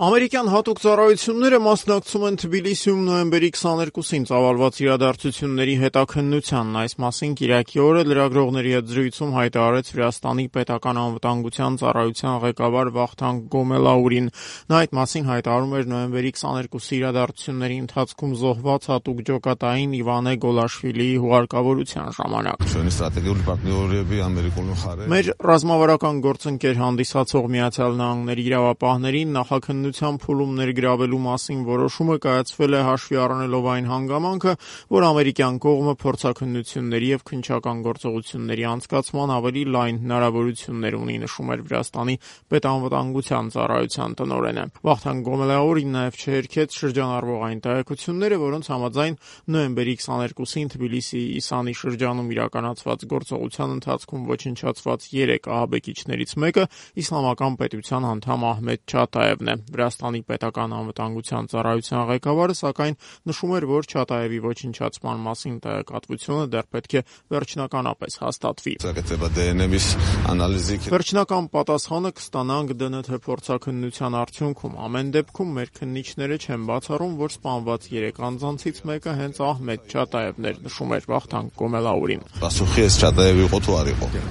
Ամերիկյան հատուկ ծառայությունները մասնակցում են Թբիլիսիում նոյեմբերի 22-ին ծավալված իրադարձությունների հետաքննությանն։ Այս մասին կիրակի օրը լրագրողների հետ զրույցում հայտարարեց Վրաստանի պետական անվտանգության ծառայության ղեկավար Վախթանգ Գոմելաուրին։ Նա այդ մասին հայտարարում էր նոյեմբերի 22-ի իրադարձությունների ընթացքում զոհված հատուկ ջոկատային Իվանե Գոլաշվիլիի հուղարկավորության ժամանակ։ Մեր ռազմավարական գործընկեր հանդիսացող Միացյալ Նահանգների իրավապահներին նախաքննության փուլում ներգրավելու մասին որոշումը կայացվել է հաշվի առնելով այն հանգամանքը, որ ամերիկյան կողմը փորձաքննությունների եւ քննչական գործողությունների անցկացման ավելի լայն հնարավորություններ ունի, նշում էր Վրաստանի պետանվտանգության ծառայության տնօրենը։ Վախթանգ Գոմելաուրին նաեւ չհերքեց շրջանառվող այն տեղեկությունները, որոնց համաձայն նոյեմբերի 22-ին Թբիլիսիի Իսանի շրջանում իրականացված գործողության ընթացքում ոչնչացված 3 ահաբեկիչներից մեկը իսլամական պետության անդամ Ահմեդ Չատաևն է։ Վրաստանի պետական անվտանգության ծառայության ղեկավարը սակայն նշում էր, որ Չատաևի ոչնչացման մասին տեղեկատվությունը դեռ պետք է վերջնականապես հաստատվի։ Վերջնական պատասխանը կստանանք ԴՆԹ փորձաքննության արդյունքում։ Ամեն դեպքում մեր քննիչները չեն բացառում, որ սպանված 3 անձանցից մեկը հենց Ահմեդ Չատաևն էր, նշում էր Վախթանգ Գոմելաուրին։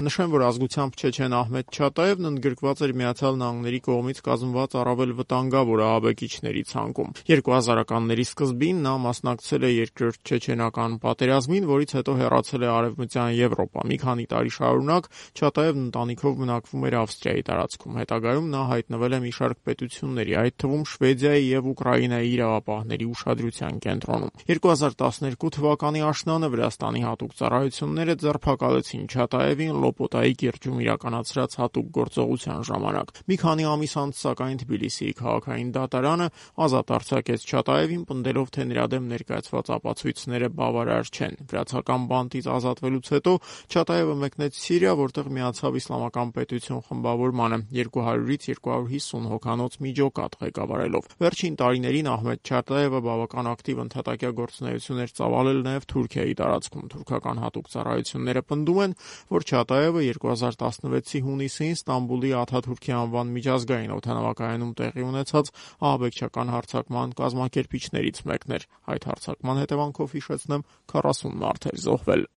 Նշեմ, որ ազգությամբ չեչեն Ահմեդ Չատաևն ընդգրկված էր Միացյալ Նահանգների կողմից կազմված առավել վտանգավոր ահաբեկիչների ցանկում։ 2000-ականների սկզբին նա մասնակցել է երկրորդ չեչենական պատերազմին, որից հետո հեռացել է Արևմտյան Եվրոպա։ Մի քանի տարի շարունակ Չատաևն ընտանիքով բնակվում էր Ավստրիայի տարածքում։ Հետագայում նա հայտնվել է մի շարք պետությունների, այդ թվում Շվեդիայի եւ Ուկրաինայի իրավապահների ուշադրության կենտրոնում։ 2012 թվականի աշնանը Վրաստանի հատուկ ծառայությունները ձերբակալեցին Չատաևին Լոպոտայի կիրճում իրականացրած հատուկ գործողության ժամանակ։ Մի քանի ամիս անց սակայն Թբիլիսիի քաղաքային դատարանը ազատ արձակեց Չատաևին, պնդելով, թե նրա դեմ ներկայացված ապացույցները բավարար չեն։ Վրացական բանտից ազատվելուց հետո Չատաևը մեկնեց Սիրիա, որտեղ միացավ Իսլամական պետություն խմբավորմանը 200-ից 250 հոգանոց մի ջոկատ ղեկավարելով։ Վերջին տարիներին Ահմեդ Չատաևը բավական ակտիվ ընդհատակյա գործունեություն էր ծավալել նաև Թուրքիայի տարածքում։ Թուրքական հատուկ ծառայությունները պնդում են, որ Չատաևը 2016-ի հունիսին Ստամբուլի Աթաթուրքի անվան միջազգային օդանավակայանում տեղի ունեցած ահաբեկչական հարձակման կազմակերպիչներից մեկն էր։ Այդ հարձակման հետևանքով, հիշեցնեմ, 40 մարդ էր զոհվել։